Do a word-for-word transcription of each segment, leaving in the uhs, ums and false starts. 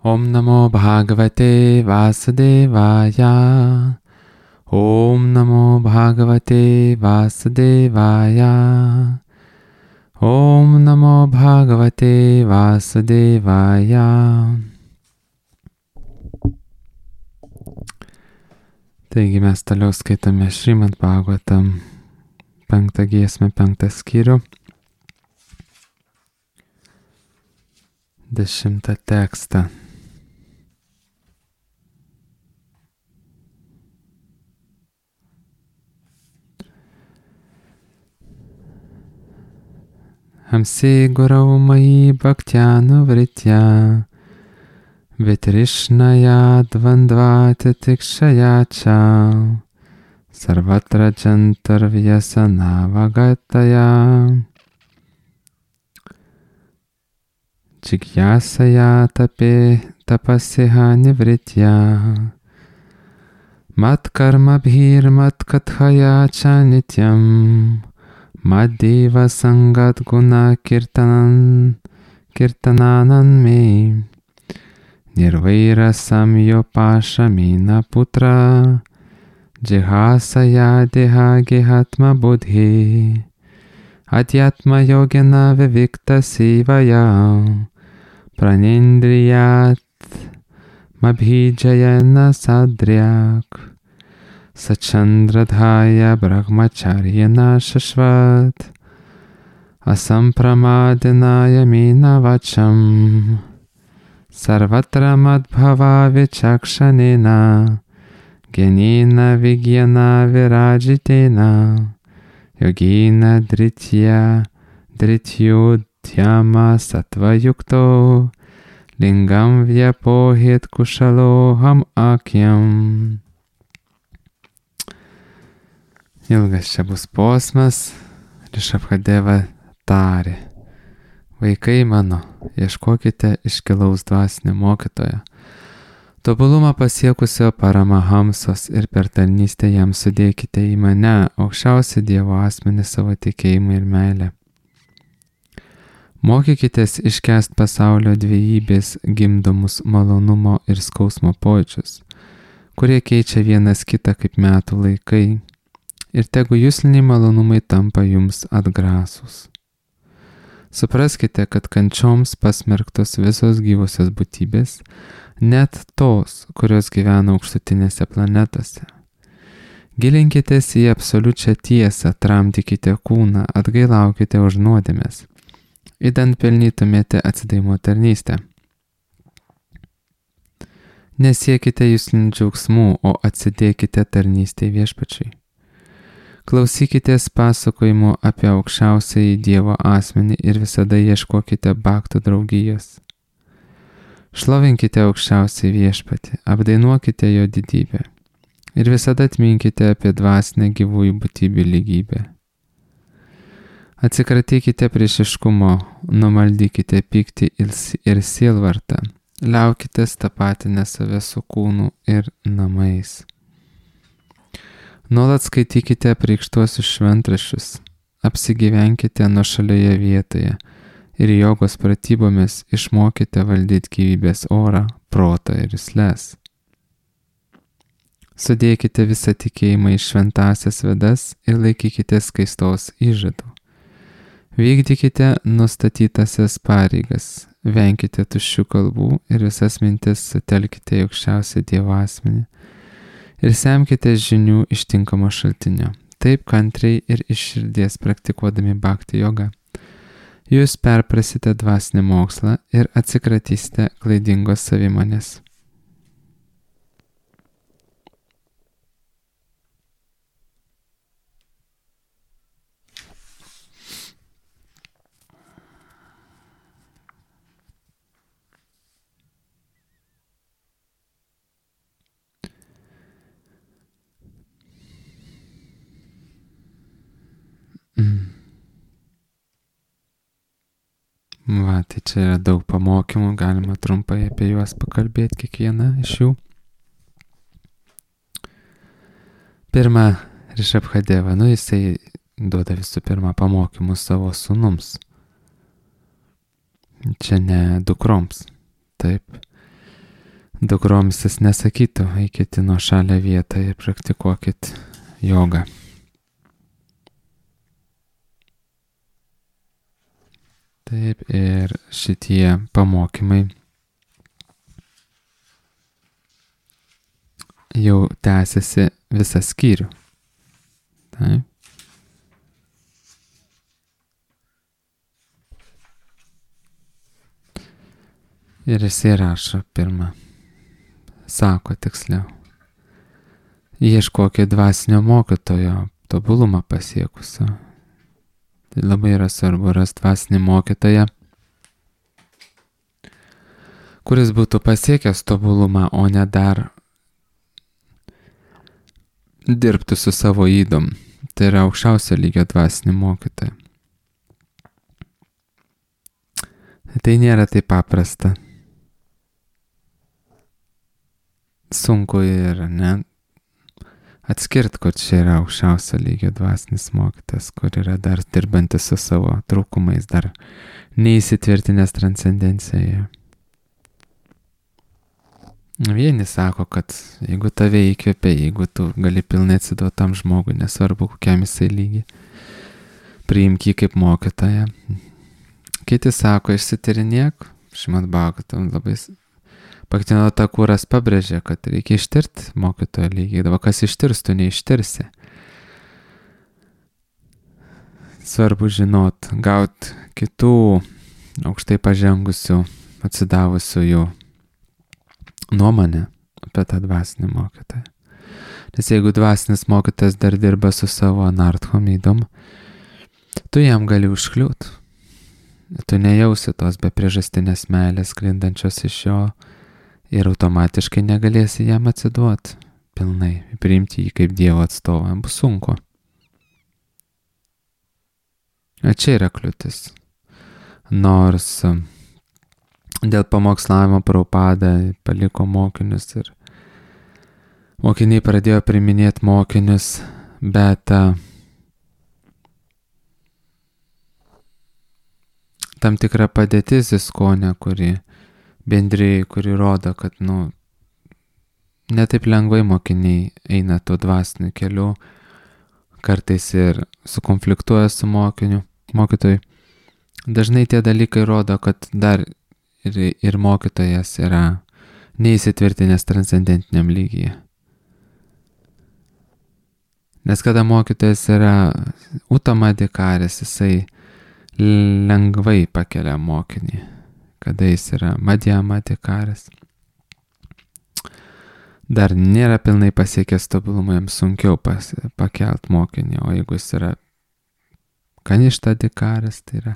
Om Namo Bhagavate Vasudevaya. Om Namo Bhagavate Vasudevaya. Om Namo Bhagavate Vasudevaya. Taigi mes toliau skaitome Šrimad Bhagavatam penktą giesmę, penktą skyrių, dešimtą tekstą. Hamsi Gurau Mai Bhaktya Vritya Vitrishnaya Dvandvati Tikshaya Cha Sarvatra Jantar Vyasana Vagataya Jigyasaya Tape Tapasiha Nivritya Mat Karma Bhir Mat Kathaya Cha Nityam Maddiva Sangat Guna Kirtanan Kirtananan Me Nirvaira Samyo Pashamina Putra Jihasaya Deha Gehatma Buddhi Adhyatma Yogena Vivikta Sivaya Pranindriyat Mabhijayana Sadryak Sachandradhaya Brahmacharyana Shashvat Asampramadinaya Mina Vacham Sarvatra Madbhava Vichakshanena Genina Vigyana Virajitena Yogina Dritya Drityudhyama Sattva Yukto Lingam Vyapohit Kushaloham Akyam. Ilgas čia bus posmas. Rišabhadeva tarė: Vaikai mano, ieškokite iškilaus dvasinio mokytojo, tobulumą pasiekusio Paramahamsos, ir per tarnystę jam sudėkite į mane, aukščiausią Dievo asmenį, savo tikėjimą ir meilę. Mokykitės iškęst pasaulio dvejybės gimdomus malonumo ir skausmo pojūčius, kurie keičia vienas kitą kaip metų laikai, ir tegu jusliniai malonumai tampa jums atgrasūs. Supraskite, kad kančioms pasmerktos visos gyvosios būtybės, net tos, kurios gyvena aukštutinėse planetose. Gilinkitės į absoliučią tiesą, tramdykite kūną, atgailaukite už nuodėmes, idant pelnytumėte atsidavimo tarnystę. Nesiekite juslinių džiaugsmų, o atsidėkite tarnystei Viešpačiui. Klausykitės pasakojimų apie aukščiausiąjį Dievo asmenį ir visada ieškokite baktų draugijos. Šlovinkite aukščiausiąjį Viešpatį, apdainuokite jo didybę ir visada atminkite apie dvasinę gyvųjų būtybių lygybę. Atsikratykite priešiškumo, numaldykite pyktį ir sielvartą, liaukitės tapatinę save su kūnu ir namais. Nuolat skaitykite apreikštuosius šventraščius, apsigyvenkite nuošalioje vietoje ir jogos pratybomis išmokite valdyti gyvybės orą, protą ir jusles. Sudėkite visą tikėjimą į šventąsias vedas ir laikykite skaistos įžadų. Vykdykite nustatytasias pareigas, venkite tuščių kalbų ir visas mintis sutelkite į aukščiausią Dievo asmenį ir semkite žinių iš tinkamo šaltinio. Taip kantriai ir iš širdies praktikuodami bhakti jogą, jūs perprasite dvasinį mokslą ir atsikratysite klaidingos savimonės. Mm. Va, tai čia yra daug pamokymų, galima trumpai apie juos pakalbėti, kiekvieną iš jų. Pirma, Rišabhadeva, nu jisai duoda visų pirma pamokymus savo sūnums. Čia ne dukroms, taip. dukroms jis nesakytų, eikit į nuošalę vietą ir praktikuokit jogą. Taip, ir šitie pamokymai jau tęsiasi visą skyrių. Taip. Ir jisai rašo pirmą, sako tiksliau, ieškokit dvasinio mokytojo, tobulumą pasiekusio. Tai labai yra svarbu rasti dvasinį mokytoją, kuris būtų pasiekęs tobulumą, o ne dar dirbtų su savo ydom. Tai yra aukščiausio lygio dvasinį mokytoją. Tai nėra taip paprasta. Sunku ir ne atskirti, kur čia yra aukščiausio lygio dvasinis mokytas, kur yra dar dirbantis su savo trūkumais, dar neįsitvirtinęs transcendencijoje. Vieni sako, kad jeigu tave įkvėpia, jeigu tu gali pilnai atsiduoti tam žmogui, nesvarbu kokiam jisai lygi, priimk jį kaip mokytoją. Kiti sako, išsitirinėk, Šrimad Bhagavatam labai Bhaktivinoda Thakuras pabrėžė, kad reikia ištirti mokytojo lygį. Dabar kas ištirs, tu neištirsi. Svarbu žinot, gauti kitų aukštai pažengusių, atsidavusių jų nuomonę apie tą dvasinį mokytoją. Nes jeigu dvasinis mokytojas dar dirba su savo anarthom ydom, tu jam gali užkliūt. Tu nejausi tos be priežastinės meilės sklindančios iš jo ir automatiškai negalėsi jam atsiduoti pilnai, priimti jį kaip Dievo atstovą, bus sunku. O čia yra kliūtis. Nors dėl pamokslavimo Prabhupada paliko mokinius ir mokiniai pradėjo priiminėti mokinius, bet tam tikra padėtis įskonė, kuri bendrijai, kuri rodo, kad, nu, netaip lengvai mokiniai eina tuo dvasiniu keliu, kartais ir sukonfliktuoja su mokiniu, mokytojui. Dažnai tie dalykai rodo, kad dar ir, ir mokytojas yra neįsitvirtinęs transcendentiniam lygyje. Nes kada mokytojas yra utamadikaris, jisai lengvai pakelia mokinį. Kada jis yra madhyamadikaris, dar nėra pilnai pasiekęs tobulumą, jam sunkiau pas, pakelt mokinį, o jeigu jis yra kaništadikaris, tai yra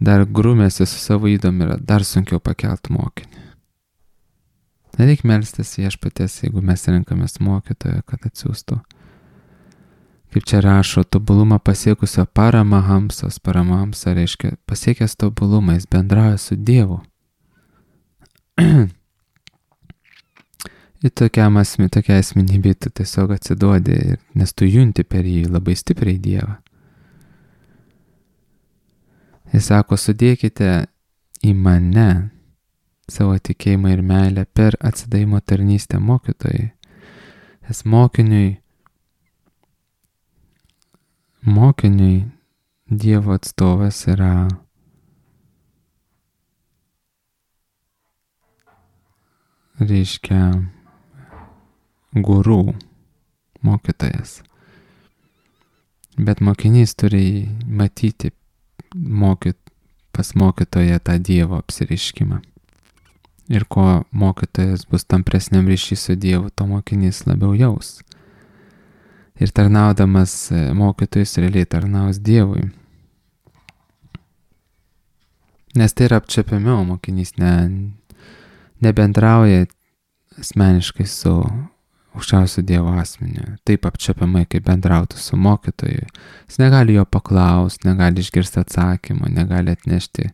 dar grūmėsi su savo ydom, yra dar sunkiau pakelt mokinį. Nereik melstis viešpaties, jeigu mes renkamės mokytoją, kad atsiųstų. Kaip čia rašo, tobulumą pasiekusio paramahamsos, paramahamsa reiškia pasiekęs tobulumą, jis bendrauja su Dievu. Ir tokiam asmi, tokia asmenybė tu tiesiog atsiduodi, nes tu junti per jį labai stipriai Dievą. Jis sako, sudėkite į mane savo tikėjimą ir meilę per atsidavimo tarnystę mokytojai. Nes mokiniui Mokiniui Dievo atstovas yra reiškia guru, mokytojas. Bet mokinys turi matyti mokyt, pas mokytoją tą Dievo apsireiškimą. Ir ko mokytojas bus tampresniam ryšy su Dievu, to mokinys labiau jaus. Ir tarnaudamas mokytojus realiai tarnaus Dievui. Nes tai yra apčiapiamiau, mokinys ne, nebendrauja asmeniškai su aukščiausiu Dievo asmeniu. Taip apčiapiamai, kaip bendrautų su mokytoju. Jis negali jo paklausti, negali išgirsti atsakymą, negali atnešti,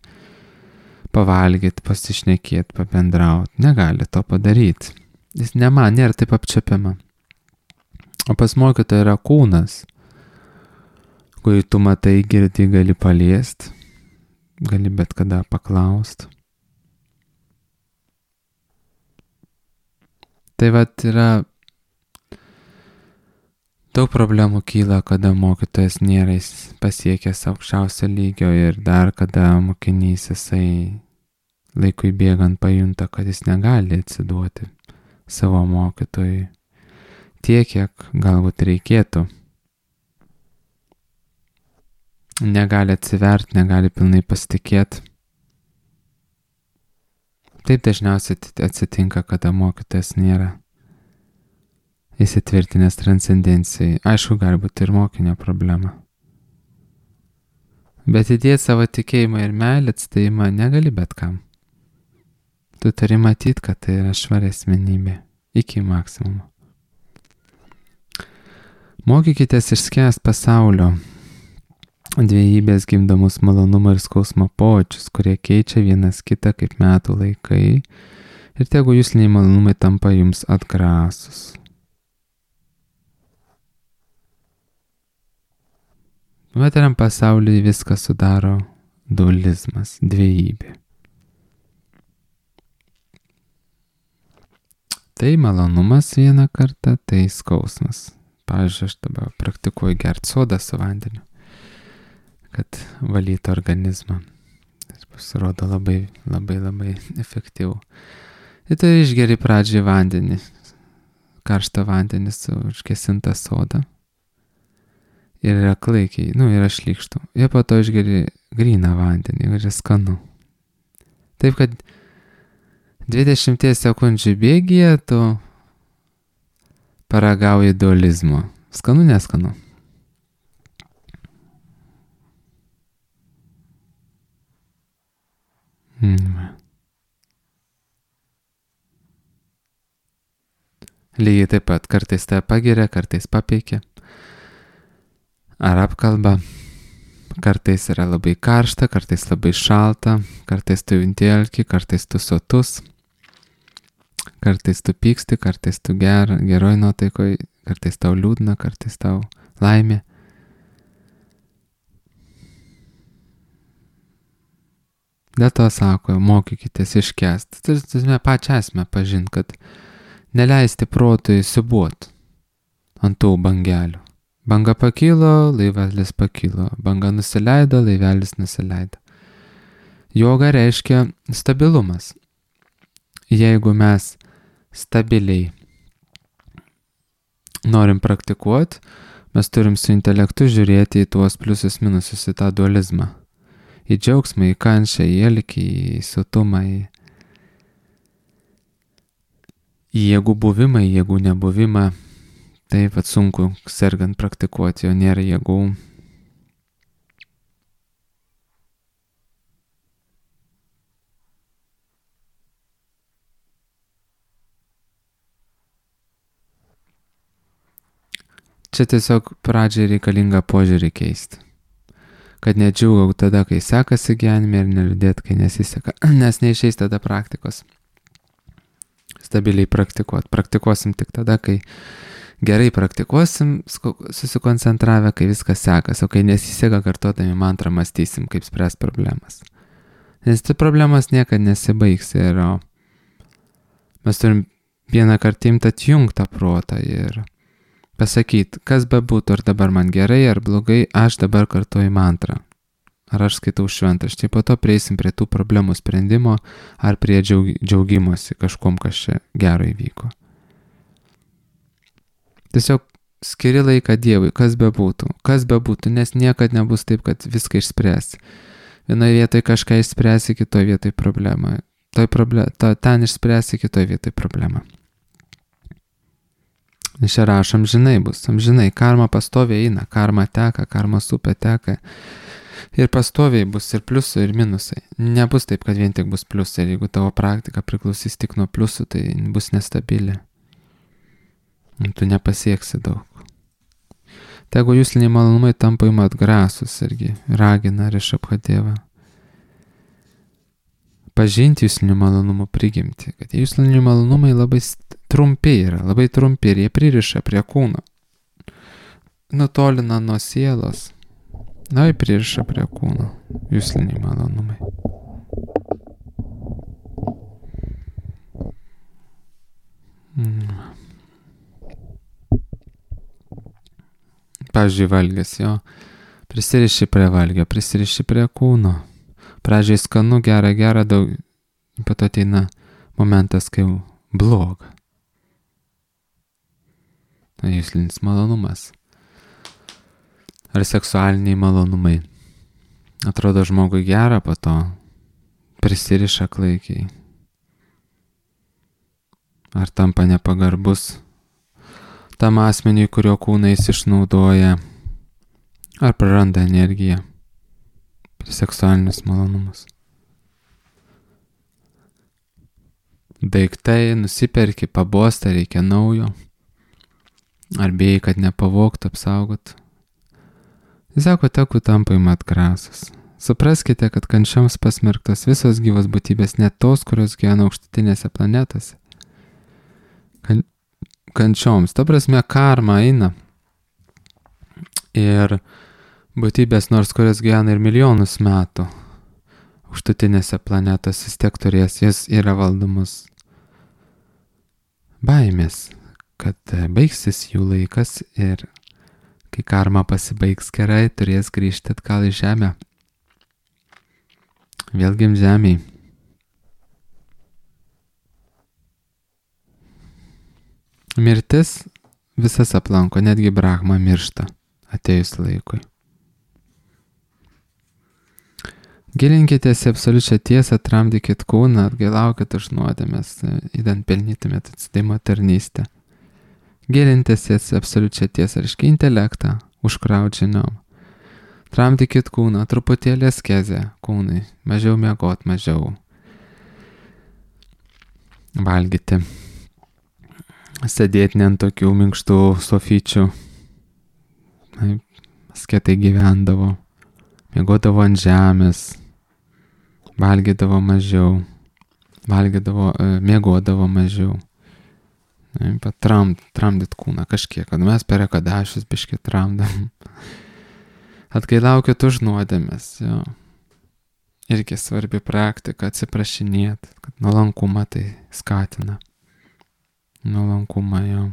pavalgyti, pasišnekėti, pabendrauti. Negali to padaryti. Jis nema, nėra taip apčiapiama. O pas mokytoją yra kūnas, kurį tu matai, girdi, gali paliesti, gali bet kada paklausti. Tai vat yra daug problemų kyla, kada mokytojas nėra pasiekęs aukščiausio lygio ir dar kada mokinys jisai laikui bėgant pajunta, kad jis negali atsiduoti savo mokytojui tiek, kiek galbūt reikėtų. Negali atsiverti, negali pilnai pasitikėti. Taip dažniausiai atsitinka, kada mokytojas nėra įsitvirtinęs transcendencijai. Aišku, gali būti ir mokinio problema. Bet įdėti savo tikėjimą ir meilę atsidavimą negali bet kam. Tu turi matyti, kad tai yra švari asmenybė iki maksimumo. Mokykitės išskęst pasaulio dviejybės gimdomus malonumo ir skausmo pojūčius, kurie keičia vienas kitą kaip metų laikai, ir tegu jusliniai malonumai tampa jums atgrasus. Materiam pasaulyje viską sudaro dualizmas, dviejybė. Tai malonumas vieną kartą, tai skausmas. Pavyzdžiui, aš dabar praktikuoju gerti sodą su vandeniu, kad valytų organizmą. Tai pasirodo labai, labai, labai efektyvu. Ir tai išgeri pradžiai vandenį, karštą vandenį su užgesintą sodą. Ir yra klaikiai, nu, yra šlykštų. Ir po to išgeri gryną vandenį, ir yra skanu. Taip, kad dvidešimties sekundžių bėgyje tu paragauji dualizmo. Skanu, neskanu. Mm. Lygiai taip pat, kartais tave pagiria, kartais papeikia. Ar apkalba. Kartais yra labai karšta, kartais labai šalta, kartais tu junti alkį, kartais tu sotus. Kartais tu pyksti, kartais tu ger, geroj nuotaikoj, kartais tau liūdna, kartais tau laimė. Dėl to sako, mokykitės iškęsti. Turime pačią esmę pažinti, kad neleisti protui siūbuot ant tų bangelių. Banga pakilo, laivelis pakilo. Banga nusileido, laivelis nusileido. Joga reiškia stabilumas. Jeigu mes stabiliai norim praktikuoti, mes turim su intelektu žiūrėti į tuos pliusus minusus, į tą dualizmą. Į džiaugsmą, į kančią, į elkį, į sotumą, į, į jėgų buvimą, į jėgų nebuvimą. Taip pat sunku sergant praktikuoti, jo nėra jėgų. Čia tiesiog pradžiai reikalinga požiūrį keisti. Kad nedžiūgau tada, kai sekasi gyvenime, ir neliūdėt, kai nesiseka, nes neišeis tada praktikos. Stabiliai praktikuot. Praktikuosim tik tada, kai gerai praktikuosim, susikoncentravę, kai viskas sekas, o kai nesiseka, kartodami mantrą mąstysim, kaip spręs problemas. Nes tai problemas niekada nesibaigs ir mes turim vieną kartą imti atjungtą protą ir pasakyti, kas bebūtų, ar dabar man gerai, ar blogai, aš dabar kartuoju mantrą. Ar aš skaitau šventraštį, po to prieisim prie tų problemų sprendimo, ar prie džiaug, džiaugimosi kažkom, kas čia gero įvyko. Tiesiog skiri laiką Dievui, kas bebūtų, kas bebūtų, nes niekad nebus taip, kad viską išspręs. Vienoje vietoje kažką išspręsi, kitoje vietoje problemą. Toj problem, to, ten išspręsi, kitoje vietoje problemą. Čia rašom, amžinai bus, amžinai, karma pastoviai eina, karma teka, karmos upė teka. Ir pastoviai bus ir pliusai, ir minusai. Nebus taip, kad vien tik bus pliusai. Ir jeigu tavo praktika priklausys tik nuo pliusų, tai bus nestabili. Tu nepasieksi daug. Tegu jusliniai malonumai tampa jums atgrasus irgi, ragina Rišabhadeva. Pažinti juslinių malonumų prigimtį. Kad jusliniai malonumai labai trumpi yra, labai trumpi ir jie pririša prie kūno. Nutolina nuo sielos. Na, jie pririša prie kūno. Jusliniai malonumai. Mm. Pavyzdžiui, valgis, jo. Prisiriši prie valgio, prisiriši prie kūno. Pradžiai skanu, gera, gera, daug. Po to ateina momentas, kai bloga. Tai juslinis malonumas. Ar seksualiniai malonumai. Atrodo žmogui gera, po to prisiriša klaikiai. Ar tampa nepagarbus tam asmeniui, kurio kūną jis išnaudoja, ar praranda energiją per seksualinius malonumus. Daiktai nusiperki, pabosta, reikia naujo, ar bijai, kad nepavogtų, apsaugot. Jis sako, tegu tampa jum atgrasus. Supraskite, kad kančioms pasmerktos visos gyvos būtybės, net tos, kurios gyvena aukštutinėse planetose. Kan, kančioms, ta prasme, karma eina. Ir būtybės, nors kurios gyvena ir milijonus metų, aukštutinėse planetose vis tiek turės, jis yra valdomus baimės, kad baigsis jų laikas ir kai karma pasibaigs gerai, turės grįžti atgal į žemę. Vėl gimt žemėj. Mirtis visas aplanko, netgi Brahma miršta atėjus laikui. Gilinkitės į absoliučią tiesą, tramdykit kūną, atgailaukit už nuodėmes, idant pelnytumėt atsidėjimo tarnystę. Gilintis į absoliučią tiesą, reiškia intelektą, užkraut žiniom. Tramdykit kūną, truputėlį askezę kūnai, mažiau miegot, mažiau valgyti. Sėdėti ne ant tokių minkštų sofyčių. Asketai gyvendavo, miegodavo ant žemės, valgydavo mažiau, valgydavo, miegodavo mažiau. Tramd, tramdyt kūną kažkiek, kad mes per ekadašius biškį tramdam. Atgailaukit už nuodėmes, jo. Irgi svarbi praktika, atsiprašinėt, kad nuolankumą tai skatina. Nuolankumą, jo.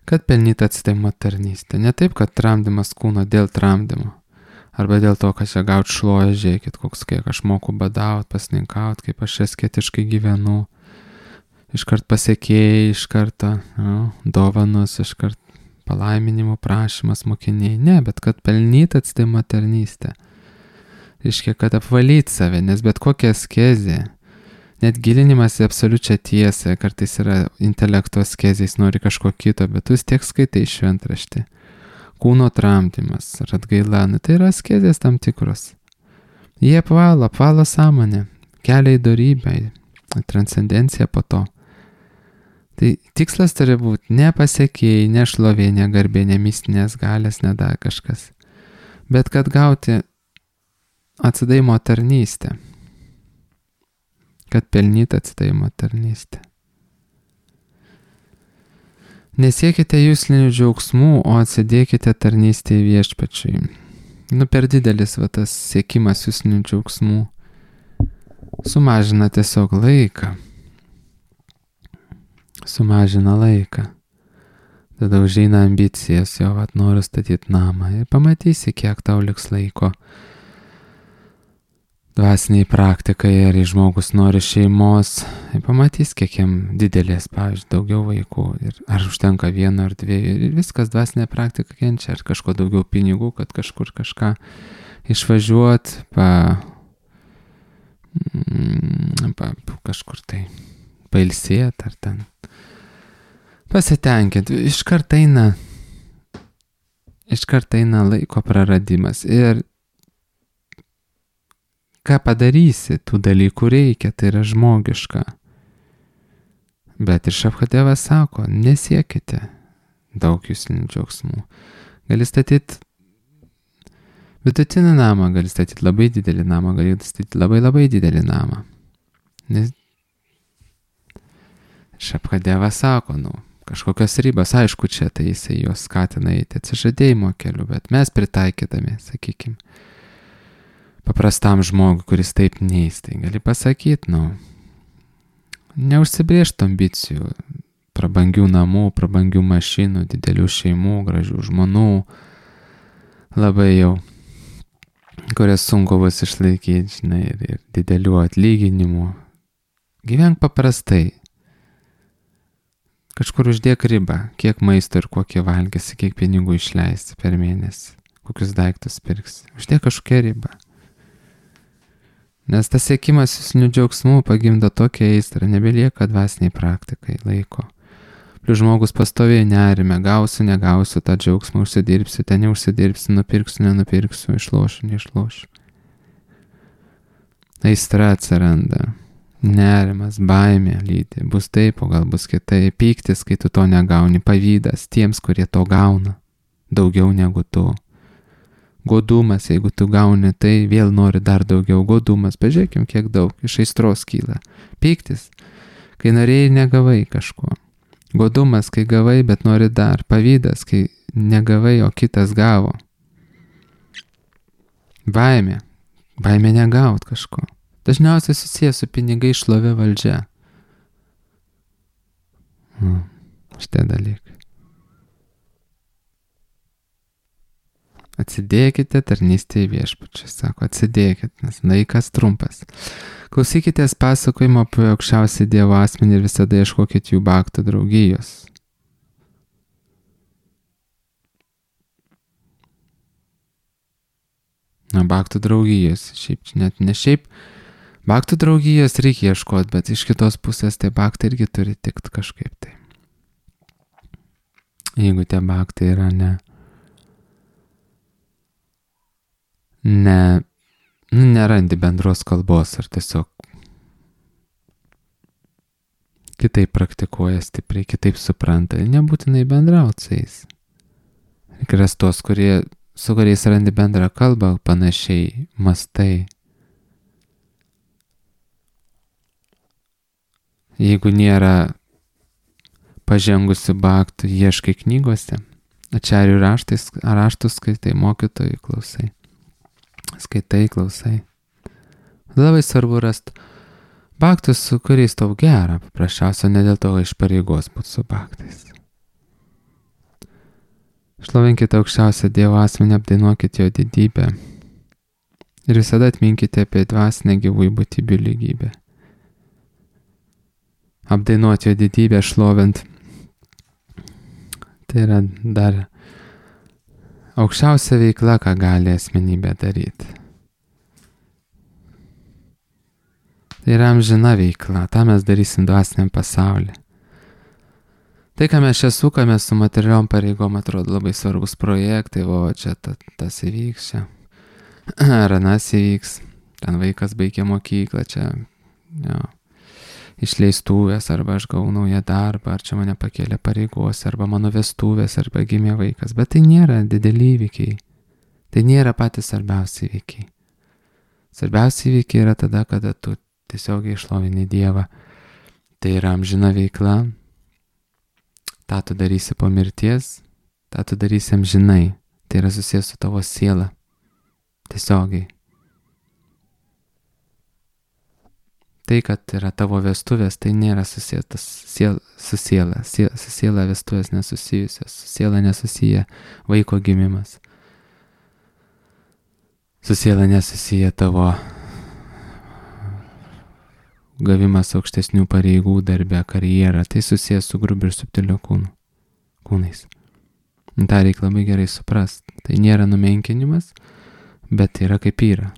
Kad pelnyt atsidėjimo tarnystę. Ne taip, kad tramdymas kūno dėl tramdymo. Arba dėl to, kad čia gaut šloja, žiūrėkit, koks kiek aš moku badaut, pasninkaut, kaip aš asketiškai gyvenu. Iškart pasiekėjai, iš karto jo, dovanos, iškart palaiminimo prašymas mokiniai. Ne, bet kad pelnyt atsidėjimo tarnystę. Reiškia, kad apvalyt save, nes bet kokia askezė, net gilinimas į absoliučią tiesą, kartais yra intelekto askezės, nori kažko kito, bet tu vis tiek skaitai šventraštį. Kūno tramdymas ar atgaila, nu, tai yra askezės tam tikros. Jie apvalo, apvalo sąmonę, kelia į dorybę, į transcendenciją po to. Tai tikslas turi būti ne pasiekėjai, ne šlovė, ne garbė, ne mistinės galės, ne dar kažkas. Bet kad gauti atsidėjimo tarnystę. Kad pelnyt atsidėjimo tarnystę. Nesiekite juslinių džiaugsmų, o atsidėkite tarnystę į viešpačiui. Nu, per didelis va tas siekimas juslinių džiaugsmų sumažina tiesiog laiką. Sumažina laiką. Tada užeina ambicijas, jo, vat noriu statyti namą ir pamatysi, kiek tau liks laiko dvasiniai praktikai, ar žmogus nori šeimos, ir pamatys, kiek jam didelės, pavyzdžiui, daugiau vaikų, ir ar užtenka vieno ar dviejų, ir viskas dvasinė praktika kenčia, ar kažko daugiau pinigų, kad kažkur kažką išvažiuot, pa, pa kažkur tai pailsėt, ar ten pasitenkinti. Iškart eina, iškart eina laiko praradimas, ir ką padarysi, tų dalykų reikia, tai yra žmogiška. Bet ir Šabhadevas sako, nesiekite daug juslinių džiaugsmų. Gali statyti vidutinį namą, gali statyti labai didelį namą, gali statyti labai labai didelį namą. Nes Šabhadevas sako, nu, kažkokios ribos, aišku, čia tai jisai jos skatina eiti atsižadėjimo keliu, bet mes pritaikydami, sakykime, paprastam žmogui, kuris taip neis, tai gali pasakyti, nu, neužsibrėžtų ambicijų, prabangių namų, prabangių mašinų, didelių šeimų, gražių žmonų, labai jau, kurias sunku bus išlaikyti, žinai, ir, ir didelių atlyginimų. Gyvenk paprastai. Kažkur uždėk ribą, kiek maisto ir kokį valgysi, kiek pinigų išleisti per mėnesį, kokius daiktus pirksi. Uždėk kažkokią ribą. Nes tas siekimas jūsinių džiaugsmų pagimdo tokią aistrą, nebelieka dvasiniai praktikai laiko. Plius žmogus pastoviai nerime, gausiu, negausiu tą džiaugsmą, užsidirbsiu, ten neužsidirbsiu, nupirksiu, nenupirksiu, išlošiu, neišlošiu. Aistra atsiranda, nerimas, baimė lydi, bus taip, o gal bus kitaip, pyktis, kai tu to negauni, pavydas tiems, kurie to gauna, daugiau negu tu. Godumas, jeigu tu gauni, tai vėl nori dar daugiau. Godumas, pažiūrėkim, kiek daug iš aistros kyla. Pyktis, kai norėjai negavai kažko. Godumas, kai gavai, bet nori dar. Pavydas, kai negavai, o kitas gavo. Baimė, baimė negaut kažko. Dažniausiai susijęs su pinigai, šlovė, valdžia. Hmm, šitie dalykai. Atsidėkite tarnystėje viešpačiui, sako, atsidėkit, nes laikas trumpas. Klausykitės pasakojimo apie aukščiausią Dievo asmenį ir visada ieškokit jų baktų draugijos. Na, baktų draugijos, šiaip, net ne šiaip, baktų draugijos reikia ieškoti, bet iš kitos pusės tai baktai irgi turi tikt kažkaip tai. Jeigu tie baktai yra ne Ne, nu, nerandi bendros kalbos ar tiesiog kitaip praktikuoja stipriai, kitaip supranta, nebūtinai bendrauti su jais. Reikia ras tos, kurie, su kuriais randi bendrą kalbą, panašiai mastai. Jeigu nėra pažengusių baktų, ieškai knygose, ačiarių raštais, raštus skaitai, mokytojų klausai. Skaitai, klausai. Labai svarbu rasti baktus, su kuriais tau gera, paprasčiausia, ne dėl to iš pareigos būti su baktais. Šlovinkite aukščiausią Dievo asmenį, apdainuokite jo didybę ir visada atminkite apie dvasinę gyvųjų būtybių lygybę. Apdainuoti jo didybę, šlovint, tai yra dar aukščiausia veikla, ką gali asmenybė daryti. Tai yra amžina veikla, tą mes darysim dvasiniam pasaulyje. Tai, ką mes čia sukame su materialiom pareigom, atrodo labai svarbus projektai, o čia ta, tas įvyks, čia ar anas įvyks, ten vaikas baigia mokyklą, čia jo, išleistuvės, arba aš gavau naują darbą, ar čia mane pakėlė pareigos, arba mano vestuvės, arba gimė vaikas. Bet tai nėra dideli įvykiai. Tai nėra patys svarbiausi įvykiai. Svarbiausi įvykiai yra tada, kada tu tiesiogiai išlovini Dievą. Tai yra amžina veikla. tą tu darysi po mirties, tą tu darysi amžinai. Tai yra susijęs su tavo siela. Tiesiogiai. Tai, kad yra tavo vestuvės, tai nėra susijęs siel, su siela. Siel, su siela vestuvės nesusijusios. Su siela nesusiję vaiko gimimas. Su siela nesusiję tavo gavimas aukštesnių pareigų darbe, karjerą. Tai susijęs su grubiu ir subtiliu kūnu, kūnais. Ta reikia labai gerai suprast. Tai nėra numenkinimas, bet yra kaip yra.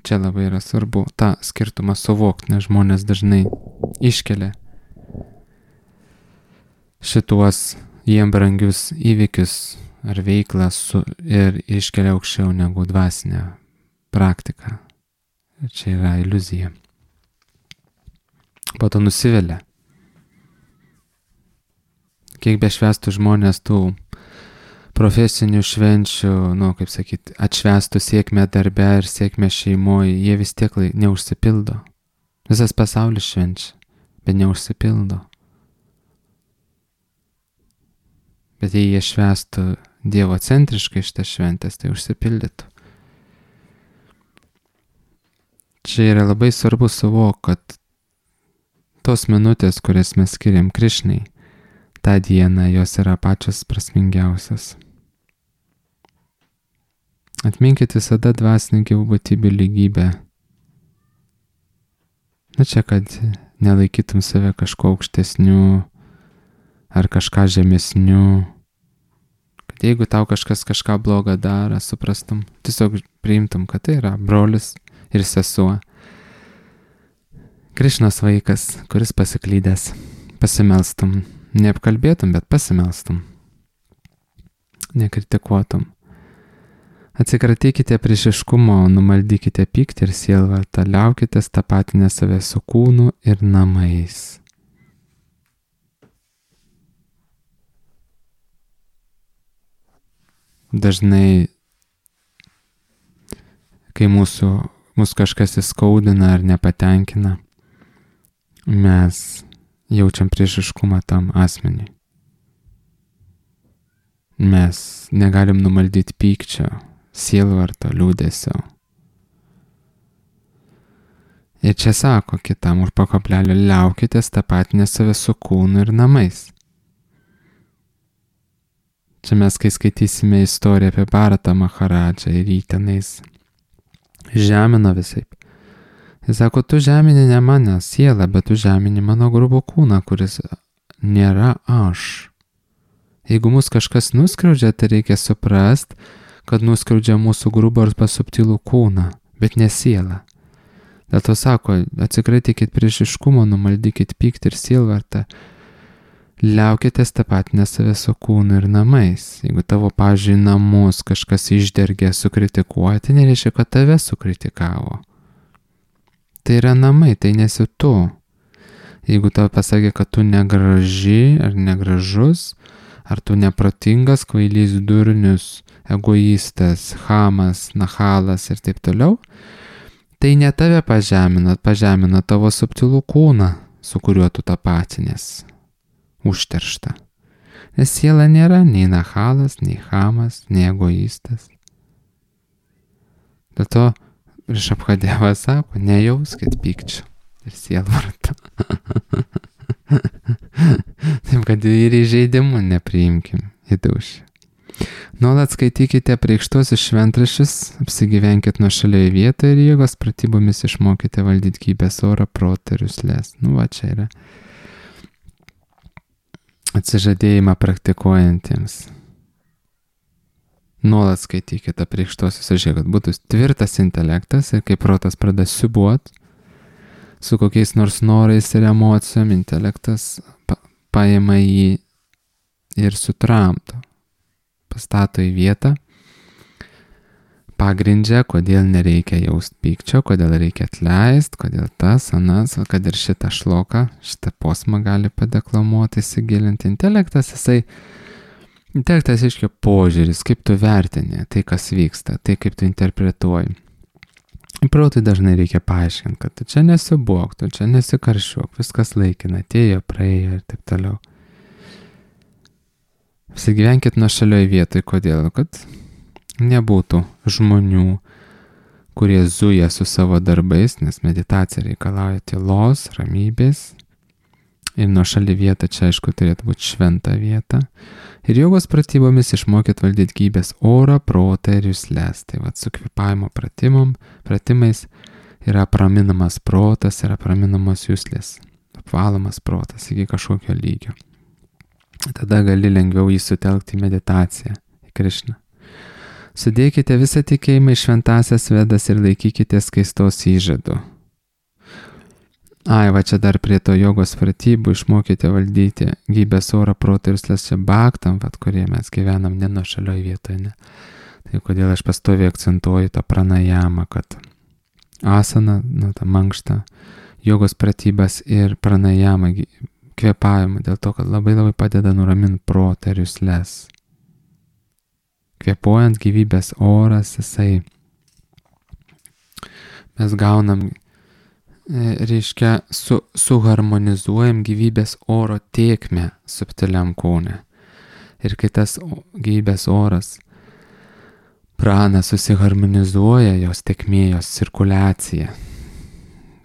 Čia labai yra svarbu tą skirtumą suvokti, nes žmonės dažnai iškelia šituos jiem brangius įvykius ar veiklą su, ir iškelia aukščiau negu dvasinę praktiką. Čia yra iliuzija. Po to nusivelia. Kiek bešvestų žmonės tų profesinių švenčių, nu, kaip sakyti, atšvestų sėkmę darbe ir sėkmę šeimoje, jie vis tiek neužsipildo. Visas pasaulis švenčia, bet neužsipildo. Bet jei jie švestų Dievo centriškai šitas šventės, tai užsipildytų. čia yra labai svarbu suvokti, kad tos minutės, kurias mes skiriam Krišnai, tą dieną jos yra pačios prasmingiausias. Atminkit visada dvasinį gyvų būtybių lygybę. Na čia, kad nelaikytum save kažko aukštesniu ar kažką žemesniu. Kad jeigu tau kažkas kažką blogą daro, suprastum, tiesiog priimtum, kad tai yra brolis ir sesuo. Krišnos vaikas, kuris pasiklydęs, pasimelstum. Neapkalbėtum, bet pasimelstum. Nekritikuotum. Atsikratykite priešiškumo, numaldykite pyktį ir sielvartą, liaukitės tapatinę save su kūnu ir namais. Dažnai, kai mūsų, mūsų kažkas įskaudina ar nepatenkina, mes jaučiam priešiškumą tam asmeniui. Mes negalim numaldyti pykčio, sielvarto, liūdesio. Ir čia sako kitam urpo kablelio, liaukitės tapatinę save su kūnu ir namais. Čia mes, kai skaitysime istoriją apie Bharatą Maharadžą ir jį tenais žemino visaip. Jis sako, tu žemini ne mane sielą, bet tu žemini mano grubų kūną, kuris nėra aš. Jeigu mus kažkas nuskriaudžia, tai reikia suprast, kad nuskriaudžia mūsų grubą arba subtilų kūną, bet ne sielą. Dėl to sako, atsikratykit priešiškumo, numaldykit pyktį ir sielvartą, liaukitės tapatinę save su kūnu ir namais. Jeigu tavo, pavyzdžiui, namus kažkas išdergė sukritikuoja, tai nereiškia, kad tave sukritikavo. Tai yra namai, tai nesi tu. Jeigu tau pasakė, kad tu negraži ar negražus, ar tu neprotingas, kvailys, durnius, egoistas, chamas, nahalas ir taip toliau, tai ne tave pažemina, pažemina tavo subtilų kūną, su kuriuo tu tapatinės, užteršta. Nes siela nėra nei nahalas, nei chamas, nei egoistas. Dėl to Rišabhadevas sako, nejauskit pykčio ir sielvarto. Taip, kad ir įžeidimų nepriimkim į dūšį. Nuolat skaitykite priekštuosius šventraščius, apsigyvenkit nuošalioje vietoje ir jėgos pratybomis išmokite valdyti gyvybės orą, protą ir jusles. Nu va, čia yra atsižadėjimą praktikuojantiems. Nuolat skaitykite priekštuosius, žiūrėk, kad būtų tvirtas intelektas ir kai protas pradeda siūbuot, su kokiais nors norais ir emocijom, intelektas pa, paima jį ir sutramdo. Pastato į vietą, pagrindžia, kodėl nereikia jaust pykčio, kodėl reikia atleist, kodėl tas, anas, kad ir šitą šloką, šitą posmą gali padeklamuoti, įsigilinti. Intelektas, jisai, intelektas reiškia požiūris, kaip tu vertini tai, kas vyksta, tai kaip tu interpretuoji. Protui dažnai reikia paaiškinti, kad tu čia nesibuok, tu čia nesikaršiuok, viskas laikina, atėjo, praėjo ir taip toliau. Apsigyvenkit nuošalioj vietoj, kodėl? Kad nebūtų žmonių, kurie zuja su savo darbais, nes meditacija reikalauja tylos, ramybės. Ir nuošali vieta čia, aišku, turėtų būti šventa vieta. Ir jogos pratybomis išmokyt valdyti gyvybės orą, protą ir jusles. Tai vat su kvėpavimo pratimom, pratimais yra praminamas protas, yra praminamos juslės. Apvalomas protas iki kažkokio lygio. Tada gali lengviau jį sutelkti į meditaciją, į Krišną. Sudėkite visą tikėjimą į šventasias vedas ir laikykite skaistos įžadų. Ai, va čia dar prie to jogos pratybų išmokite valdyti gyvybės orą, protą ir jusles čia bhaktam, vat kurie mes gyvenam ne nuošalioj vietoje, ne. Tai kodėl aš pastoviai akcentuoju tą pranajamą, kad asana, nu, tą mankštą, jogos pratybas ir pranajamą, kvėpavimą, dėl to, kad labai labai padeda nuraminti protą ir jusles. Kvėpuojant gyvybės oras, jisai, mes gaunam, reiškia, su, suharmonizuojam gyvybės oro tėkmę subtiliam kūne. Ir kai tas gyvybės oras, prana susiharmonizuoja, jos tėkmė, jos cirkuliacija,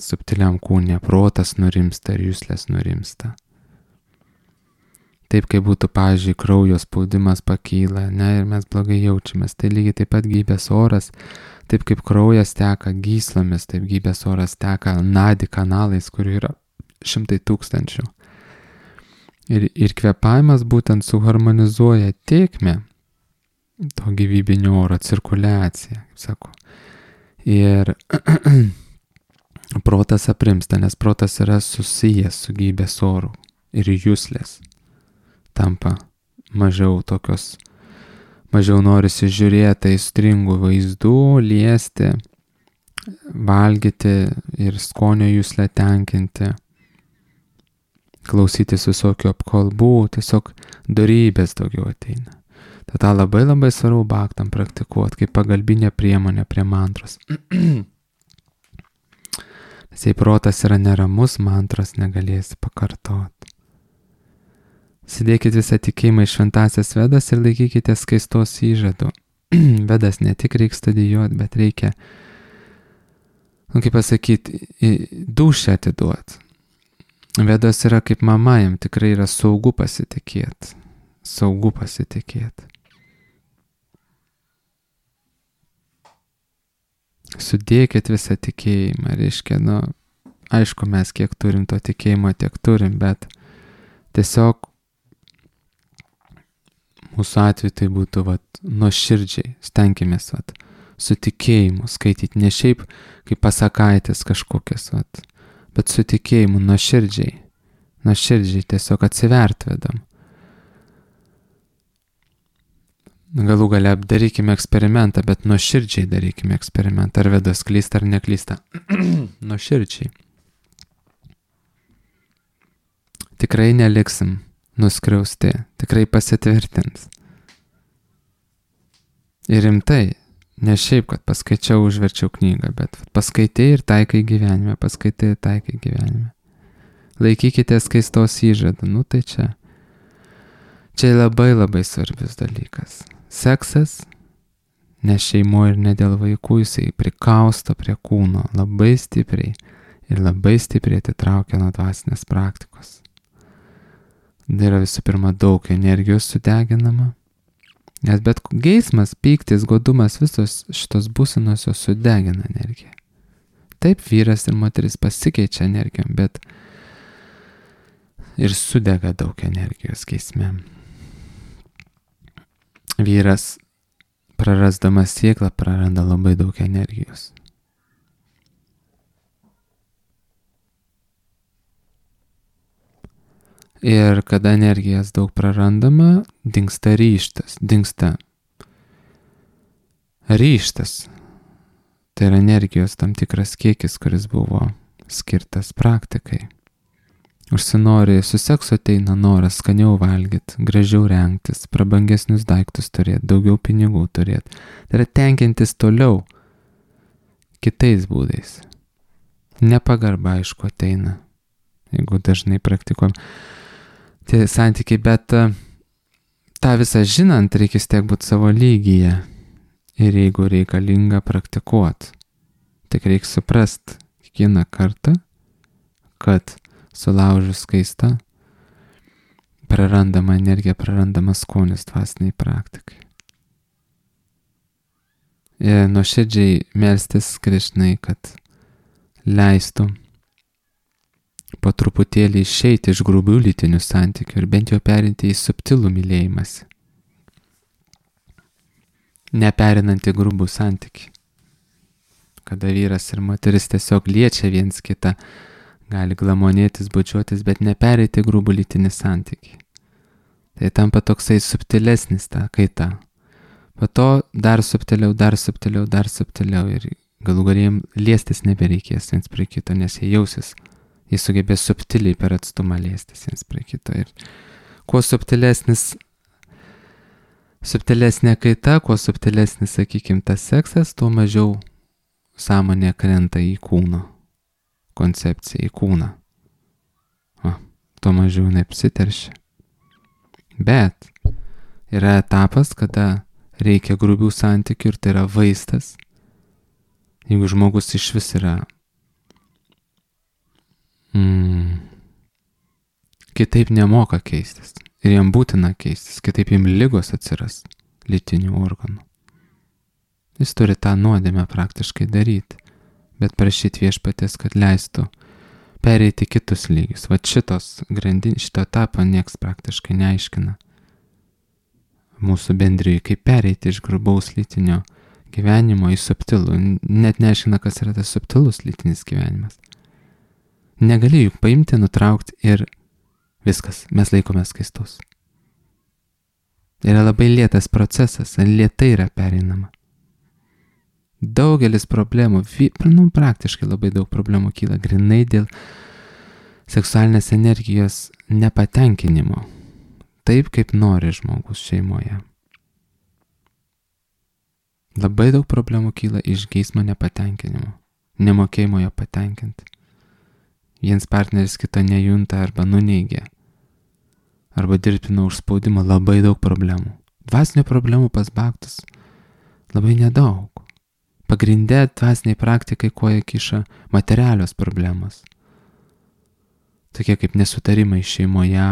subtiliam kūne, protas nurimsta ir juslės nurimsta. Taip kaip būtų, pavyzdžiui, kraujo spaudimas pakyla, ne, ir mes blogai jaučiamės. Tai lygiai taip pat gyvybės oras, taip kaip kraujas teka gyslomis, taip gyvybės oras teka nadi kanalais, kurių yra šimtai tūkstančių. Ir, ir kvėpavimas būtent suharmonizuoja tėkmę, to gyvybinio oro cirkuliaciją, kaip sako. Ir protas aprimsta, nes protas yra susijęs su gyvybės oru ir juslės tampa mažiau tokios, mažiau norisi žiūrėti aistringų vaizdų, liesti, valgyti ir skonio juslę tenkinti, klausytis visokių apkalbų, tiesiog dorybės daugiau ateina. Tada labai labai svarbu bhaktam praktikuoti kaip pagalbinė priemonė prie mantros. Nes jei protas yra neramus, mantros negalėsi pakartoti. Sėdėkit visą tikėjimą į šventasias Vedas ir laikykite skaistos įžadų. Vedas ne tik reikia studijuoti, bet reikia, nu kaip pasakyti, dūšią atiduoti. Vedos yra kaip mama, jam tikrai yra saugu pasitikėti. Saugu pasitikėti. Sudėkit visą tikėjimą, reiškia, nu, aišku, mes kiek turim to tikėjimo, tiek turim, bet tiesiog mūsų atveju tai būtų, vat, nuoširdžiai, stenkimės, vat, su tikėjimu skaityti, ne šiaip kaip pasakaitis kažkokias, vat, bet su tikėjimu, nuoširdžiai, nuoširdžiai tiesiog atsivert vedam. Galų gale darykime eksperimentą, bet nuoširdžiai darykime eksperimentą, ar Vedas klysta ar neklysta. Nuoširdžiai. Tikrai neliksim nuskriausti, tikrai pasitvirtins. Ir rimtai, ne šiaip, kad paskaičiau, užverčiau knygą, bet paskaitai ir taikai gyvenime, paskaitai ir taikai gyvenime. Laikykite skaistos įžadą, nu tai čia. Čia labai labai svarbus dalykas. Seksas, ne šeimoje ir ne dėl vaikų, jisai prikausto prie kūno labai stipriai ir labai stipriai atitraukia nuo dvasinės praktikos. Tai yra visų pirma daug energijos sudeginama, nes bet geismas, pyktis, godumas, visos šitos būsenos jos sudegina energiją. Taip vyras ir moteris pasikeičia energijom, bet ir sudega daug energijos geisme. Vyras prarasdamas sėklą praranda labai daug energijos. Ir kada energijas daug prarandama, dingsta ryžtas, dingsta ryžtas. Tai yra energijos tam tikras kiekis, kuris buvo skirtas praktikai. Užsinori, su seksu ateina noras skaniau valgyti, gražiau rengtis, prabangesnius daiktus turėti, daugiau pinigų turėti. Tai yra tenkintis toliau kitais būdais. Nepagarba, aišku, ateina, jeigu dažnai praktikuojam tie santykiai, bet tą visą žinant, reikia tiek būti savo lygyje. Ir jeigu reikalinga praktikuoti, tik reikia suprast kiekvieną kartą, kad sulaužus skaistą, prarandama energija, prarandama skonis dvasiniai praktikai. Ir nuoširdžiai melstis Krišnai, kad leistų po truputėlį išeiti iš grubių lytinių santykių ir bent jau perinti į subtilų mylėjimąsi. Neperinant į grubų santykį. Kada vyras ir moteris tiesiog liečia viens kitą, gali glamonėtis, bučiuotis, bet nepereiti grubų lytinį santykį. Tai tampa toksai subtilesnis ta kaita. Po to dar subtiliau, dar subtiliau, dar subtiliau ir galų galėjim liestis nebereikės viens prie kito, nes jie jausis, jie sugebės subtiliai per atstumą liestis viens prie kito. Ir kuo subtilesnis, subtilesnė kaita, kuo subtilesnis, sakykim, tas seksas, tuo mažiau sąmonė krenta į kūno koncepciją, į kūną. O, tuo mažiau neapsiteršia. Bet yra etapas, kada reikia grubių santykių ir tai yra vaistas. Jeigu žmogus iš vis yra mm, kitaip nemoka keistis. Ir jam būtina keistis, kitaip jam lygos atsiras lytinių organų. Jis turi tą nuodėmę praktiškai daryti, bet prašyti viešpatės, kad leistų pereiti kitus lygius. Va šitos grandinės, šito etapo nieks praktiškai neaiškina mūsų bendrijai, kaip pereiti iš grubaus lytinio gyvenimo į subtilų. Net neaiškina, kas yra tas subtilus lytinis gyvenimas. Negali juk paimti, nutraukti ir viskas, mes laikomės skaistus. Yra labai lėtas procesas, lėtai yra pereinama. Daugelis problemų, nu, praktiškai labai daug problemų kyla grinai dėl seksualinės energijos nepatenkinimo, taip kaip nori žmogus šeimoje. Labai daug problemų kyla iš geismo nepatenkinimo, nemokėjimo jo patenkinti. Vienas partneris kito nejunta arba nuneigia, arba dirbtino užspaudimo, labai daug problemų. Dvasinio problemų pas baktus labai nedaug. Pagrindė dvasiniai praktikai koja kiša materialios problemos. Tokie kaip nesutarimai šeimoje,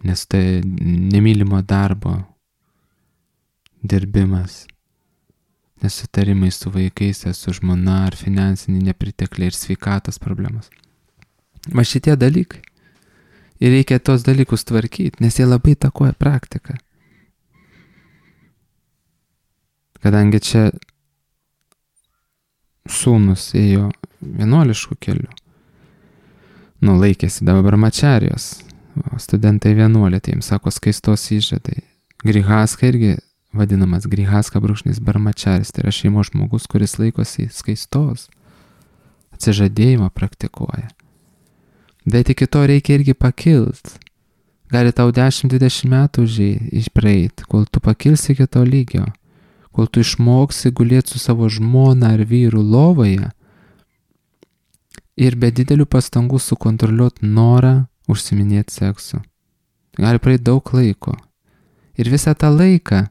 nes tai nemylimo darbo dirbimas, nesutarimai su vaikais, su žmona ar finansiniai nepritekliai ir sveikatos problemos. Va šitie dalykai. Ir reikia tos dalykus tvarkyti, nes jie labai įtakoja praktiką. Kadangi čia sūnus ėjo vienuoliškų kelių, nu laikėsi dabar brahmačarijos, o studentai vienuolė, tai jiems sako skaistos įžadai. Grihaska irgi vadinamas grihaska brūkšnys brahmačaris, tai yra šeimos žmogus, kuris laikosi skaistos, atsižadėjimą praktikuoja. Bet iki to reikia irgi pakilt. Gali tau dešimt dvidešimt metų išpraeit, kol tu pakilsi iki to lygio. Kol tu išmoksi gulėti su savo žmona ar vyru lovoje ir be didelių pastangų sukontroliuoti norą užsiminėti seksu. Gali praeiti daug laiko. Ir visą tą laiką,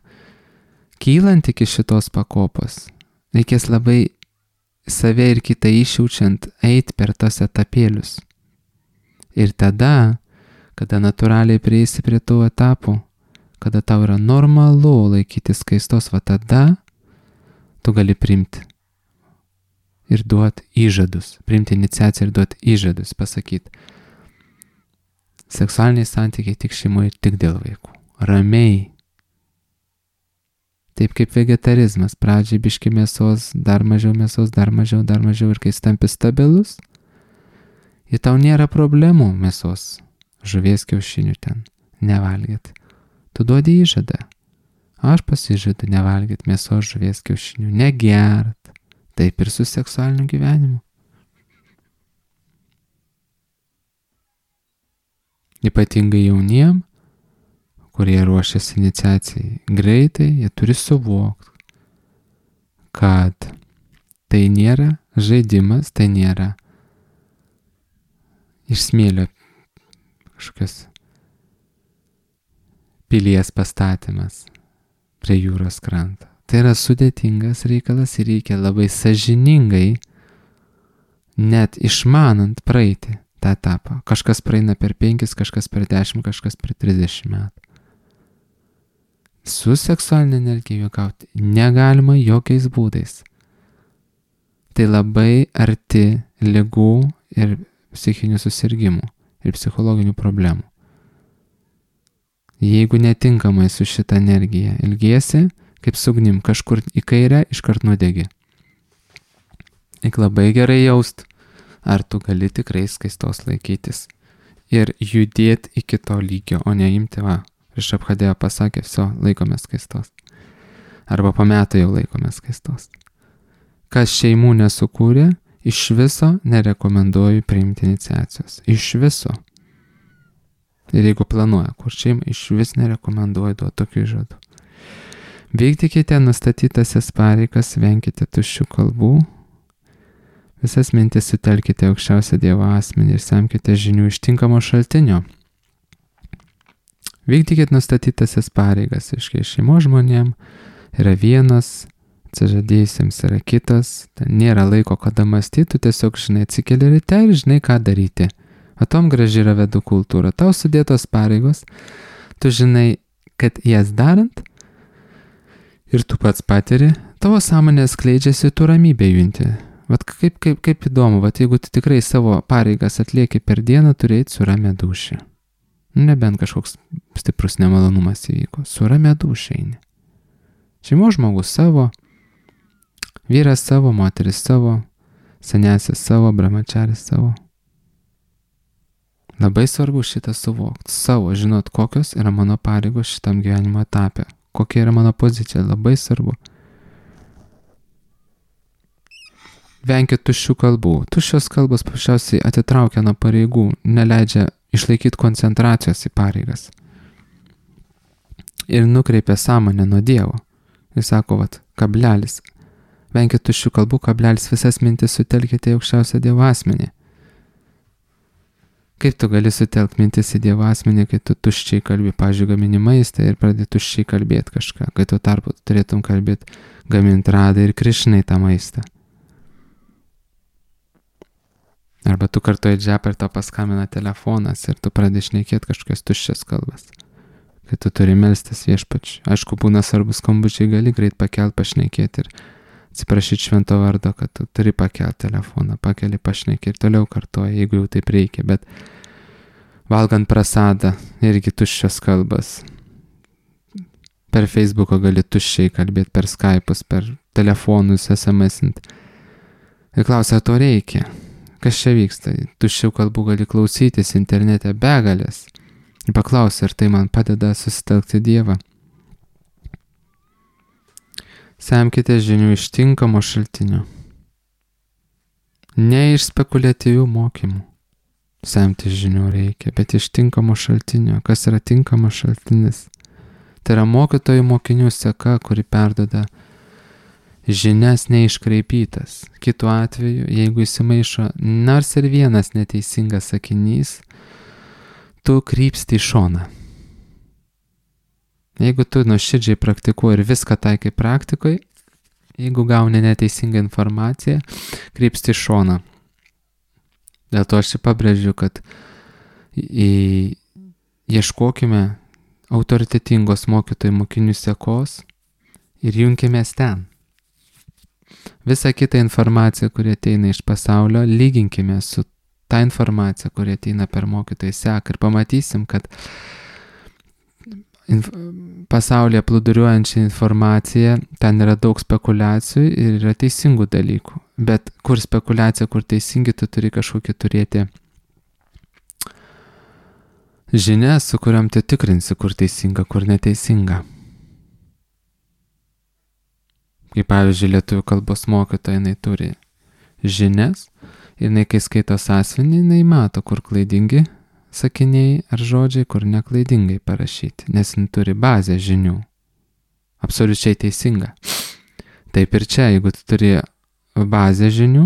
kylant iki šitos pakopos, reikės labai save ir kitą išjaučiant eiti per tas etapėlius. Ir tada, kada natūraliai prieisi prie tų etapų, kada tau yra normalu laikyti skaistos, va tada tu gali priimti ir duoti įžadus, priimti iniciaciją ir duoti įžadus, pasakyti. Seksualiniai santykiai tik šeimoje, tik dėl vaikų. Ramiai. Taip kaip vegetarizmas, pradžiai biški mėsos, dar mažiau mėsos, dar mažiau, dar mažiau ir kai tampi stabilus, ir tau nėra problemų mėsos, žuvies kiaušinių ten nevalgyti. Tu duodi įžadą. Aš pasižadu nevalgyti mėsos, žuvies kiaušinių, negert. Taip ir su seksualiniu gyvenimu. Ypatingai jauniem, kurie ruošiasi iniciacijai greitai, jie turi suvokti, kad tai nėra žaidimas, tai nėra iš smėlio kažkokios pilies pastatymas prie jūros kranto. Tai yra sudėtingas reikalas ir reikia labai sąžiningai, net išmanant praeiti tą etapą. Kažkas praeina per penkis, kažkas per dešimt, kažkas per trisdešimt metų. Su seksualinė energija juokauti negalima jokiais būdais. Tai labai arti ligų ir psichinių susirgimų ir psichologinių problemų. Jeigu netinkamai su šitą energiją ilgiesi, kaip sugnim kažkur į kairę, iškart nudegi. Eik labai gerai jaust, ar tu gali tikrai skaistos laikytis ir judėti iki to lygio, o neimti, va, Rišabhadeva pasakė, viso, laikomės skaistos. Arba po metų jau laikomės skaistos. Kas šeimų nesukūrė, iš viso nerekomenduoju priimti iniciacijos. Iš viso. Ir jeigu planuoja kur šeimą, iš vis nerekomenduoju duoti tokių žodų. Vykdykite nustatytasias pareigas, venkite tuščių kalbų, visas mintis sutelkite aukščiausią Dievo asmenį ir semkite žinių iš tinkamo šaltinio. Vykdykite nustatytasias pareigas, iškai šeimos žmonėm yra vienas atsižadėjusiems yra kitas, ten nėra laiko, kada mąstyti, tu tiesiog, žinai, atsikeli ryte ir žinai, ką daryti. Atom graži yra vedų kultūra, tau sudėtos pareigos, tu žinai, kad jas darant ir tu pats patiri, tavo sąmonė skleidžiasi, tu ramybę junti. Vat kaip, kaip, kaip įdomu, vat jeigu tu tikrai savo pareigas atlieki per dieną, turi eiti su ramia dūšia. Nebent kažkoks stiprus nemalonumas įvyko, su ramia dūšia eini. Šeimos žmogus savo, vyras savo, moteris savo, senesis savo, brahmačaris savo. Labai svarbu šitą suvokti, savo, žinot, kokios yra mano pareigos šitam gyvenimo etape, kokia yra mano pozicija, labai svarbu. Venkit tuščių kalbų. Tuščios kalbos paprasčiausiai atitraukia nuo pareigų, neleidžia išlaikyti koncentracijos į pareigas. Ir nukreipia sąmonę nuo Dievo. Jis sako, vat, kablelis. Venkit tuščių kalbų, kablelis, visas mintis sutelkite į aukščiausią Dievo asmenį. Kaip tu gali sutelkti mintis į Dievo asmenį, kai tu tuščiai kalbi, pavyzdžiui, gamini maistą ir pradedi tuščiai kalbėti kažką, kai tu tarpu turėtum kalbėti gaminti Radai ir Krišnai tą maistą. Arba tu kartuoji džepą ir tau paskambina telefonas ir tu pradedi šnekėti kažkokias tuščias kalbas, kai tu turi melstis viešpačiui. Aišku, būna svarbus skambučiai, gali greit pakelti, pašnekėti ir atsiprašyti švento vardo, kad tu turi pakelti telefoną, pakeli, pašnekėti ir toliau kartuoji, jeigu jau taip reikia, bet valgant prasadą irgi tuščios kalbas. Per Facebooką gali tuščiai kalbėti, per Skype'us, per telefonus, es em esint. Ir klausia, to reikia. Kas čia vyksta? Tuščių kalbų gali klausytis internete begalės. Ir paklausia, ar tai man padeda susitelkti Dievą. Semkite žinių iš tinkamo šaltinio. Ne iš spekuliatyvių mokymų. Semti žinių reikia, bet iš tinkamo šaltinio. Kas yra tinkamas šaltinis? Tai yra mokytojų mokinių seka, kuri perduoda žinias neiškraipytas. Kitu atveju, jeigu įsimaišo nors ir vienas neteisingas sakinys, tu krypsti į šoną. Jeigu tu nuoširdžiai praktikuoji ir viską taikai praktikoje, jeigu gauni neteisingą informaciją, krypsti į šoną. Dėl to aš čia pabrėžiu, kad į... ieškokime autoritetingos mokytojų mokinių sekos ir junkimės ten. Visą kitą informaciją, kuri ateina iš pasaulio, lyginkime su ta informacija, kuri ateina per mokytojų seką ir pamatysim, kad inf... pasaulyje plūduriuojančią informaciją, ten yra daug spekulacijų ir yra teisingų dalykų. Bet kur spekulacija, kur teisingi, tu turi kažkokį turėti žinią, su kuriam tu tikrinsi, kur teisinga, kur neteisinga. Kaip pavyzdžiui, lietuvių kalbos mokytoja, jinai turi žinias ir jinai, kai skaito sąsiuvinį, jinai mato, kur klaidingi sakiniai ar žodžiai, kur neklaidingai parašyti, nes jin turi bazę žinių. Absoliučiai teisinga. Taip ir čia, jeigu tu turi bazę žinių,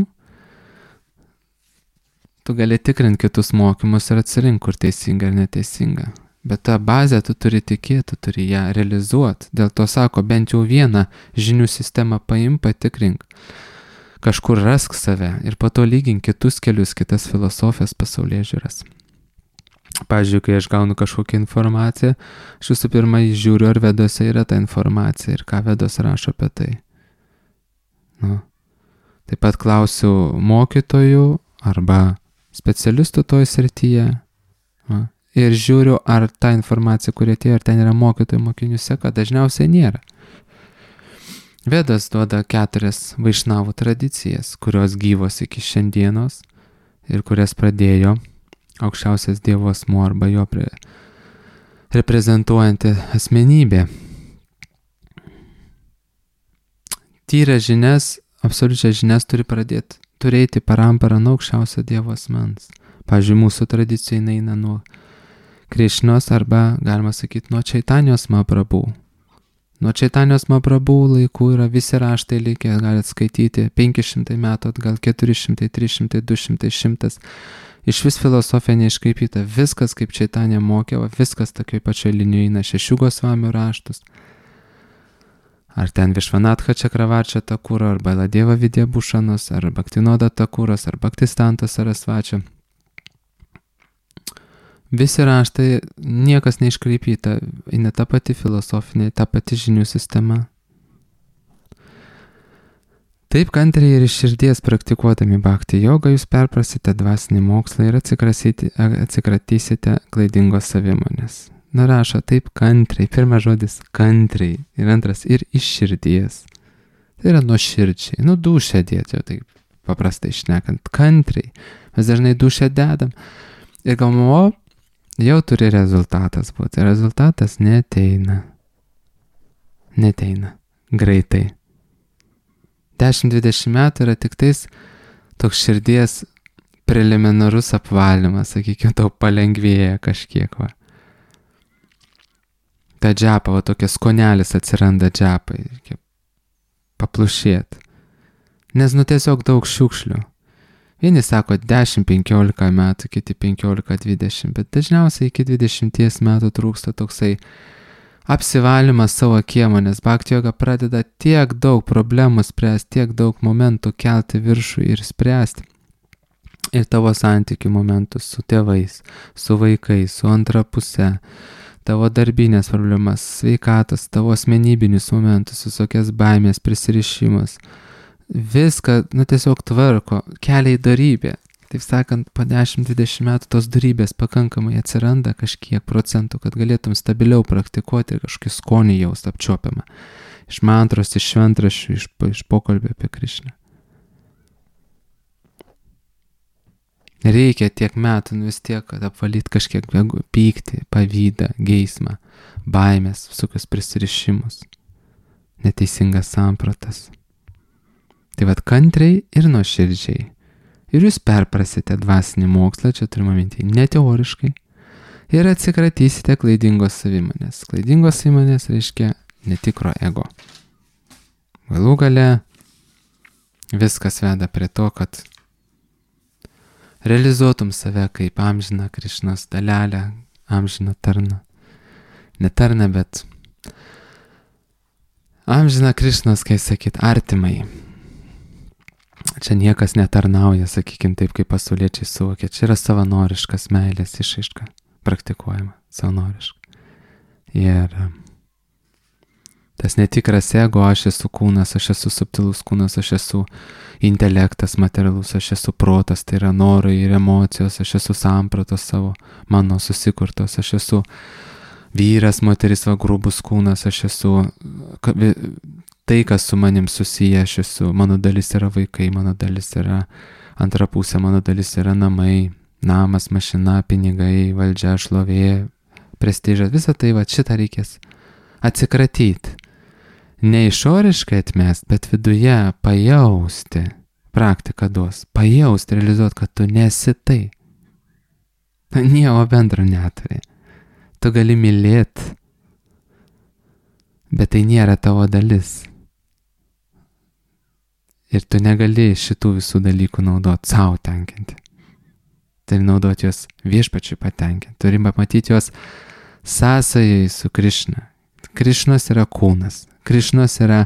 tu gali tikrinti kitus mokymus ir atsirinkti, kur teisinga ar neteisinga. Bet tą bazę tu turi tikėti, tu turi ją realizuoti. Dėl to sako, bent jau vieną žinių sistemą paim, patikrink. Kažkur rask save ir po to lygink kitus kelius, kitas filosofijas, pasaulėžiūras. Pavyzdžiui, kai aš gaunu kažkokią informaciją, aš visų pirma žiūriu, ar vedose yra ta informacija ir ką vedos rašo apie tai. Nu. Taip pat klausiu mokytojų arba specialistų toj srityje. Nu. Ir žiūriu, ar ta informacija, kuri atėjo, ar ten yra mokytojų mokinių seka, dažniausiai nėra. Vedas duoda keturias vaišnavų tradicijas, kurios gyvos iki šiandienos ir kurias pradėjo aukščiausias Dievo asmuo arba jo pre... reprezentuojanti asmenybė. Tyrę žinias, absoliučias žinias turi pradėti turėti paramparą nuo aukščiausio Dievo asmens. Pavyzdžiui, mūsų tradicija eina nuo Krišnos arba, galima sakyti, nuo Čaitanijos Mahaprabhu. Nuo Čaitanijos Mahaprabhu laikų yra visi raštai likę, galite skaityti penki šimtai metų atgal, keturi šimtai, trys šimtai, du šimtai, šimtas. Iš vis filosofija neiškraipyta, viskas kaip Čaitanija mokė, viskas tokioj pačioj linijoje eina, šešių Gosvamių raštus. ar ten Višvanatha Čakravarčio Takuro, ar Baladeva Vidya Bhushanos, ar Bhaktinoda Takuros, ar Bhaktistanto Sarasvačio. Visi raštai, niekas neiškreipyta, eina ta pati filosofinė, ta pati žinių sistema. Taip kantriai ir iš širdies praktikuodami bhakti jogą jūs perprasite dvasinį mokslą ir atsikratysite klaidingos savimonės. Nurašo taip kantriai, pirmas žodis kantriai ir antras ir iš širdies. Tai yra nuo širdžiai, nu dušę dėti, jau taip paprastai šnekant, kantriai. Mes dažnai dušę dedam ir galvom, o, jau turi rezultatas būti. Rezultatas neteina. Neteina. Greitai. dešimt dvidešimt metų yra tik tais toks širdies preliminarus apvalymas, sakykime, tau palengvėja kažkiek, va. Ta džapa, va, tokia skonelis atsiranda džapai, reikia paplušėt. Nes, nu, tiesiog daug šiukšlių. Vieni sako dešimt penkiolika metų, kiti penkiolika dvidešimt, bet dažniausiai iki dvidešimties metų trūksta toksai apsivalymas savo kiemo, nes bhakti joga pradeda tiek daug problemų spręsti, tiek daug momentų kelti viršų ir spręsti. Ir tavo santykių momentus su tėvais, su vaikais, su antra puse, tavo darbinės problemas, sveikatos, tavo asmenybinius momentus, visokias baimės, prisirišimus. Viską, nu, tiesiog tvarko, kelia į darybę. Taip sakant, po dešimt dvidešimt metų tos darybės pakankamai atsiranda kažkiek procentų, kad galėtum stabiliau praktikuoti ir kažkokį skonį jaust apčiuopiamą. Iš mantros, iš šventraščių, iš, iš pokalbio apie Krišną. Reikia tiek metų, nu vis tiek, kad apvalyti kažkiek pyktį, pavydą, geismą, baimės, visokius prisirišimus, neteisingas sampratas. Tai vat kantriai ir nuoširdžiai. Ir jūs perprasite dvasinį mokslą, čia turime minti, ne teoriškai, ir atsikratysite klaidingos savimonės. Klaidingos savimonės reiškia netikro ego. Galų gale viskas veda prie to, kad realizuotum save kaip amžiną Krišnos dalelę, amžiną tarną. Ne tarną, bet amžiną Krišnos, kai sakyt, artimai. Čia niekas netarnauja, sakykime, taip kaip pasauliečiai suvokia. Čia yra savanoriškas meilės išraiška, praktikuojama, savanoriška. Ir tas netikras ego, aš esu kūnas, aš esu subtilus kūnas, aš esu intelektas materialus, aš esu protas, tai yra norai ir emocijos, aš esu sampratos savo, mano susikurtos, aš esu vyras, moteris, va, grubus kūnas, aš esu tai, kas su manim susiję, aš esu, mano dalis yra vaikai, mano dalis yra antra pusė, mano dalis yra namai, namas, mašina, pinigai, valdžia, šlovė, prestižas, visą tai, va, šitą reikės atsikratyti. Ne išoriškai atmest, bet viduje pajausti, praktika duos, pajausti, realizuoti, kad tu nesi tai. Nieko bendro neturi. Tu gali mylėti, bet tai nėra tavo dalis. Ir tu negali šitų visų dalykų naudoti savo tenkinti. Turi naudoti juos viešpačiui patenkinti. Turi pamatyti juos sąsajai su Krišna. Krišnos yra kūnas. Krišnos yra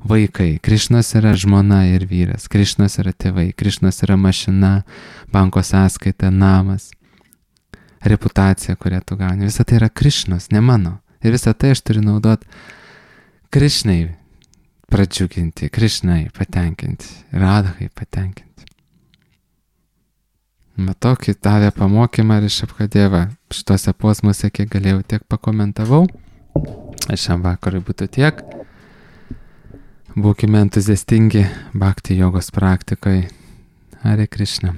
vaikai. Krišnos yra žmona ir vyras. Krišnos yra tėvai. Krišnos yra mašina, banko sąskaita, namas, reputacija, kurią tu gauni. Visa tai yra Krišnos, ne mano. Ir visą tai aš turiu naudoti Krišnai pradžiuginti, Krišnai patenkinti, Radhai patenkinti. Bet tokį davė pamokymą ir iš Apkadėva. Šitose posmuose, kiek galėjau, tiek pakomentavau. Šiam vakarui būtų tiek. Būkime entuziastingi bhakti jogos praktikai. Hare Krishna.